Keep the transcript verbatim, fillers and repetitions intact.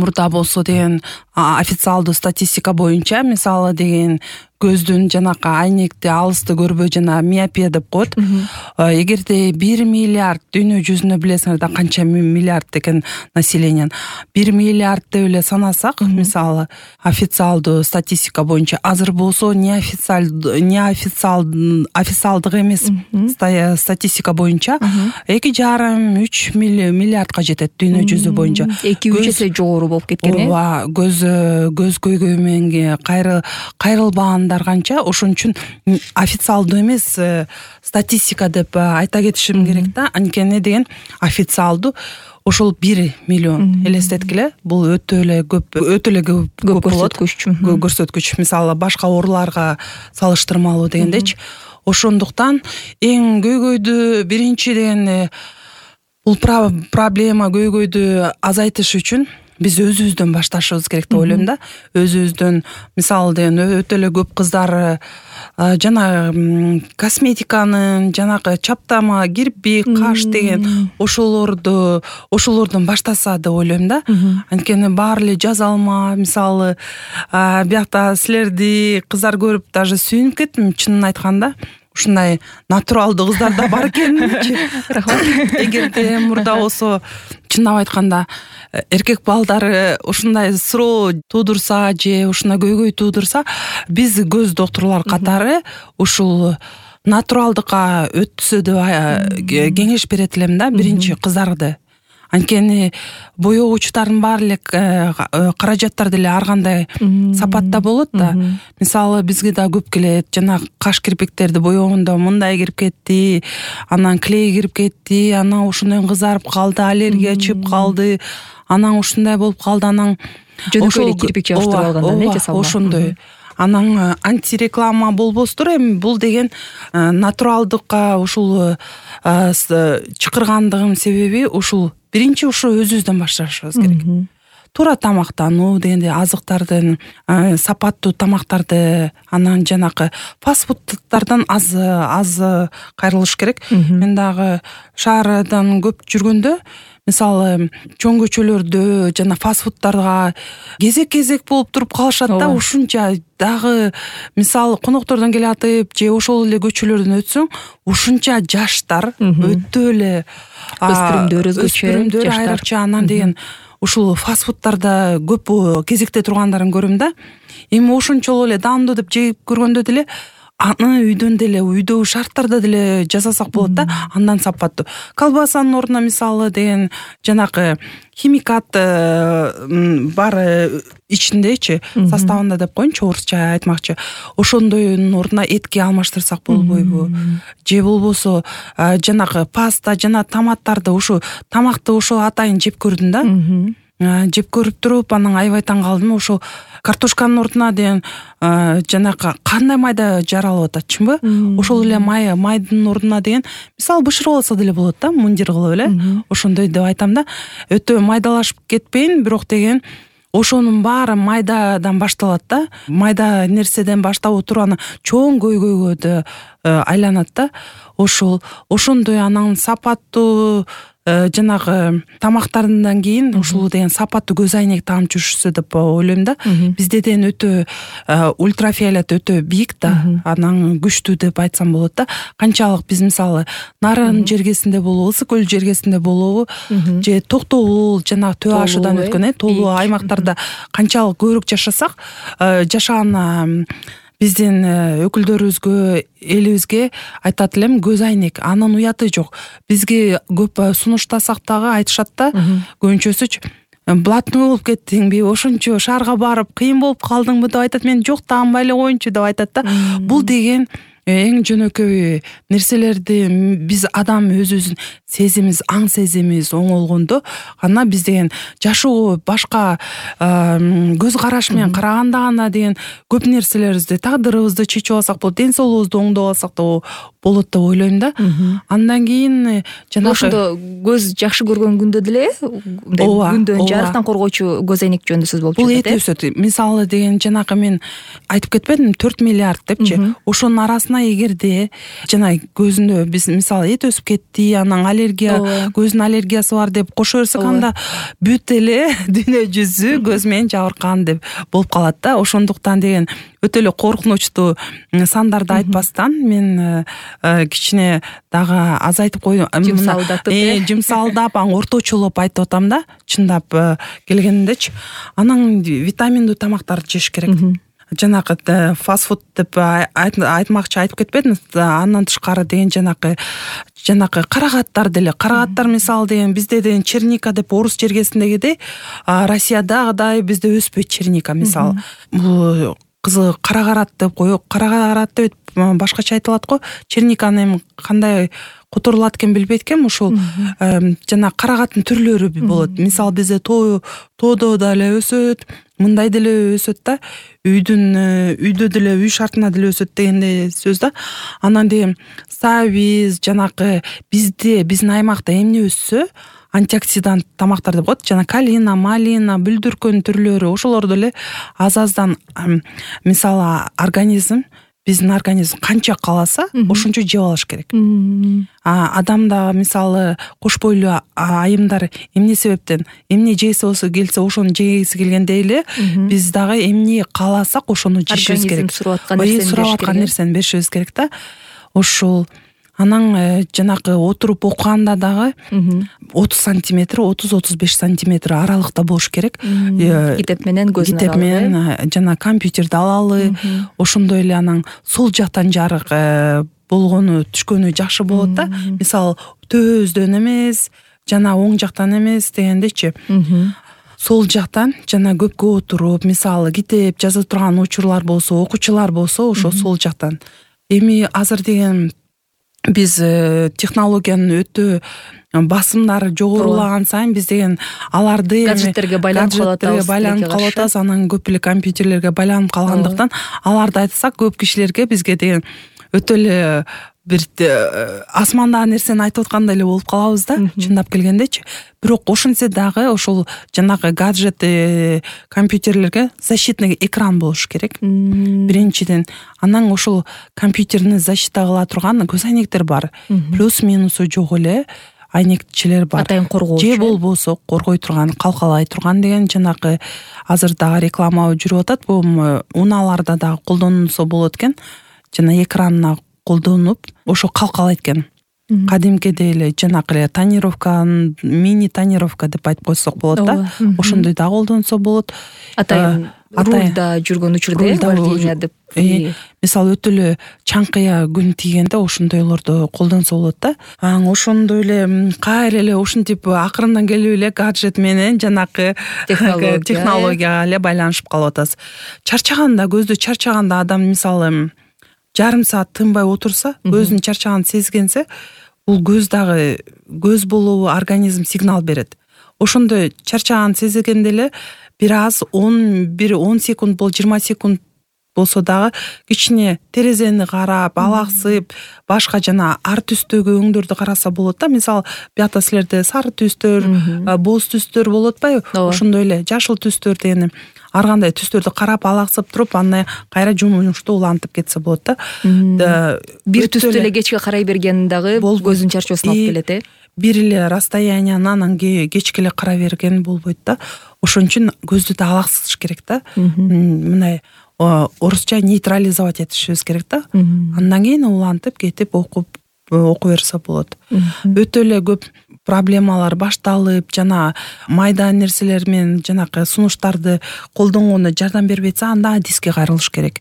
мурда болсо деген официалдуу статистика боюнча мисалы деген көздүн жанакы айнекти алысты көрбөй жана миопия деп коет. Эгерде бир миллиард дүйнө жүзүнө билесиңер да канча миллиард экен население. бир миллиард деп эле санасак, мисалы официалдуу статистика боюнча азыр болсо неофициалдуу неофициалдуу официалдык эмес статистика боюнча эки жарым үч миллиардка жетет дүйнө жүзү боюнча. эки үч эсе жогору болуп кеткен э. Ооба, көз көз көйгөй менен кайрыл кайрылбагандар канча, ошон үчүн официалдуу эмес статистика деп айта кетишим керек да. Анткени деген официалдуу ошол бир миллион элестеткиле, бул өтө эле көп, өтө эле көп көрсөткүч. Көрсөткүч. Мисалы башка ооруларга салыштырмалуу дегендечи. Ошондуктан эң көйгөйдү биринчи деген бул проблема көйгөйдү азайтыш үчүн биз өзүбүздөн башташыбыз керек деп ойлойм да. Өзүбүздөн мисалы деген өтө эле көп кыздар жана косметиканын, жанагы чаптама, кирпик, каш деген ошолорду ошолордон баштаса деп ойлойм да. Анткени баары эле жазалма, мисалы биякта силерди кыздар көрүп даже сүйүнүп кеттим, чынын айтканда. Ушундай натуралдуу кыздар да бар экенчи. Рахмат. Эгерде мурда болсо чындап айтканда эркек балдары ушундай суроо туудурса же ушундай көйгөй туудурса, биз көз доктурлар катары ушул натуралдыкка өтсө деп кеңеш берет элем да, биринчи кыздарды. Анткени боёгучтардын баары эле каражаттар деле ар кандай сапатта болот да. Мисалы бизге да көп келет, жана каш кирпиктерди боёгондо мындай кирип кетти, анан клей кирип кетти, анан ошондон кызарып калды, аллергия чыгып калды, анан ушундай болуп калды, анан жөнөкөй эле кирпик жабыштырып алгандан э жасалма. Ошондой. Анан антиреклама болбостур, эми бул деген натуралдыкка ушул чакыргандыгым себеби ушул биринчи ушу өзүбүздөн башташыбыз керек. Туура тамактануу дегенде азыктардын, сапаттуу тамактарды, анан жанакы фастфудтардан аз аз кайрылыш керек. Мен дагы шаардан көп жүргөндө, мисалы чоң көчөлөрдө жана фастфудтарга кезек-кезек болуп туруп калышат да. Ушунча дагы мисалы коноктордон келатып же ошол эле көчөлөрдөн өтсөң, ушунча жаштар өтө эле өспүрүмдөр өзгөчө, айрыкча анан деген ушул фастфудтарда көп кезекте тургандарын көрөм да. Эми ошончолук эле даамдуу деп жеп көргөндө деле аны үйдөн деле, үйдөгү шарттарда деле жасасак болот да, андан сапаттуу. Колбасанын ордуна мисалы деген жанакы химикат бар ичиндечи, составында деп коеюнчу, орусча айтмакчы. Ошондойдун ордуна этки алмаштырсак болбойбу? Же болбосо жанакы паста жана томаттарды, ушу тамакты ошол атайын жеп көрдүм да. Жеп көрүп туруп анан аябай таң калдым. Ошол картошканын ордуна деген жанакы кандай майда жаралып ататчымбы? Ошол эле май, майдын ордуна деген мисалы бышырып алса деле болот да, мундир кылып эле. Ошондой деп айтам да. Өтө майдалашып кетпейин, бирок деген ошонун баары майдадан башталат да. Майда нерседен баштап отуруп анан чоң көйгөйгө айланат да. Ошол ошондой анан сапаттуу жанагы тамактардан кийин ушул деген сапаттуу көз айнек таап жүрүшсө деп ойлойм да. Бизде деген өтө ультрафиолет өтө бийик да, анан күчтүү деп айтсам болот да. Канчалык биз мисалы Нарын жергесинде болобу, Ысык көл жергесинде болобу, же Токтогул жана Төбө Ашыдан өткөн э тоолуу аймактарда канчалык көбүрөөк жашасак, жашаган биздин өкүлдөрүбүзгө, элибизге айтат элем, көз айнек анын уяты жок. Бизге көп сунуштасак дагы айтышат да, көбүнчөсүчү блатный болуп кеттиңби, ошончо шаарга барып кыйын болуп калдыңбы деп айтат. Мен жок, таанбай эле коеюнчу деп айтат да. Бул деген эң жөнөкөй нерселерди биз адам өзүбүздүн сезимибиз, аң сезимибиз оңолгондо гана биз деген жашоо башка көз караш менен караганда гана деген көп нерселерибизди, тагдырыбызды чечип алсак болот, ден соолугубузду оңдоп алсак да болот деп ойлойм да. Андан кийин жанагы ошондо көз жакшы көргөн күндө деле мындай күндөн жарыктан коргоочу көз айнек жөнүндө сөз болуп жатат. Бул эте өсөт. Мисалы деген жанагы мен айтып кетпедимби төрт миллиард депчи. Ошонун арасына эгерде жана көзүндө биз мисалы эте өсүп кетти, анан аллергия, көзүнүн аллергиясы бар деп кошо берсек, анда бүт эле дүйнө жүзү көз менен жабыркан деп болуп калат да. Ошондуктан деген өтө эле коркунучтуу сандарды айтпастан мен кичине дагы азайтып койдум. Жумсалдатып, жумсалдап, анан орточолоп айтып атам да, чындап келгендечи. Анан витаминдүү тамактарды жеш керек. Жанагы фастфуд деп айтмакчы айтып кетпедим. Андан тышкары деген жанагы жанагы карагаттар деле. Карагаттар мисалы деген бизде деген черника деп орус жергесиндегидей Россиядагыдай бизде өспөйт черника мисалы. Бул кызы карагарат деп коюп, карагарат деп башкача айтылат го. Черниканы эми кандай которулат экен билбейт экенмин. Ушул жана карагаттын түрлөрү болот. Мисалы бизде тоо тоодо деле өсөт, мындай деле өсөт да. Үйдүн үйдө деле үй шартына деле өсөт дегендей сөз да. Анан деген сабиз жанагы бизде биздин аймакта эмне өссө антиоксидант тамактар деп коет. Жана калина, малина, бүлдүркөн түрлөрү ошолорду эле аз-аздан мисалы организм биздин организм канча кааласа ошончо жеп алыш керек. А адамда мисалы кош бойлуу айымдар эмне себептен эмне жегиси болсо келсе ошону жегиси келгендей эле биз дагы эмне кааласак ошону жешибиз керек. Организм сурап аткан нерсени беришибиз керек да. Ошол анан жанагы отуруп окуганда дагы отуз сантиметр, отуз отуз беш сантиметр аралыкта болуш керек. Китеп менен көзүн китеп менен жана компьютерди алалы. Ошондой эле анан сол жактан жарык болгону түшкөнү жакшы болот да. Мисалы төөздөн эмес, жана оң жактан эмес дегендечи. Сол жактан жана көпкө отуруп, мисалы китеп жаза турган учурлар болсо, окуучулар болсо, ошо сол жактан. Эми азыр деген биз технологиянын өтө басымдары жогорулаган сайын биз деген аларды гаджеттерге байланып калып байланып калып атабыз. Анан көп эле компьютерлерге байланып калгандыктан аларды айтсак көп кишилерге бизге деген өтө эле бир асмандагы нерсени айтып аткандай эле болуп калабыз да, чындап келгендечи. Бирок ошентсе дагы ошол жанагы гаджет компьютерлерге защитный экран болуш керек. Биринчиден, анан ошол компьютерни защита кыла турган көз айнектер бар. Плюс минусу жок эле айнекчилер бар. Атайын коргоочу. Же болбосо коргой турган, калкалай турган деген жанагы азыр дагы реклама жүрүп атат. Бул унааларда дагы колдонсо болот экен. Жана экранына колдонуп ошо калкалайт экен. Кадимкидей эле жанагы эле тонировка, мини тонировка деп айтып койсок болот да. Ошондой да колдонсо болот. Атайын рулда жүргөн учурда вождение деп. Мисалы өтө эле чаңкыя күн тийгенде ошондойлорду колдонсо болот да. Анан ошондой эле кайра эле ушинтип акырындан келип эле гаджет менен жанакы технологияга эле байланышып калып атабыз. Чарчаганда, көздү чарчаганда адам мисалы жарым саат тынбай отурса, көзүнүн чарчаганын сезгенсе, бул көз дагы көз болобу организм сигнал берет. Ошондой чарчаганын сезгенде эле бир аз он бир он секунд бол жыйырма секунд болсо дагы кичине терезени карап, алаксып, башка жана ар түстөгү өңдөрдү караса болот да. Мисалы, биякта силерде сары түстөр, боз түстөр болот атпайбы? Ошондой эле жашыл түстөр дегени ар кандай түстөрдү карап, алаксып туруп, андан кайра жумуштуу улантып кетсе болот да. Бир түстү эле кечке карай берген дагы көздүн чарчоосуна алып келет, э? Бир эле расстоянияны анан кечке эле карай берген болбойт да. Ошон үчүн көздү да алаксытыш керек да. Мындай орусча нейтрализовать этишибиз керек да. Андан кийин улантып кетип окуп окуп берсе болот. Өтө эле көп проблемалар башталып, жана майда нерселер менен жанакы сунуштарды колдонгондо жардам бербей атса, анда адиске кайрылыш керек.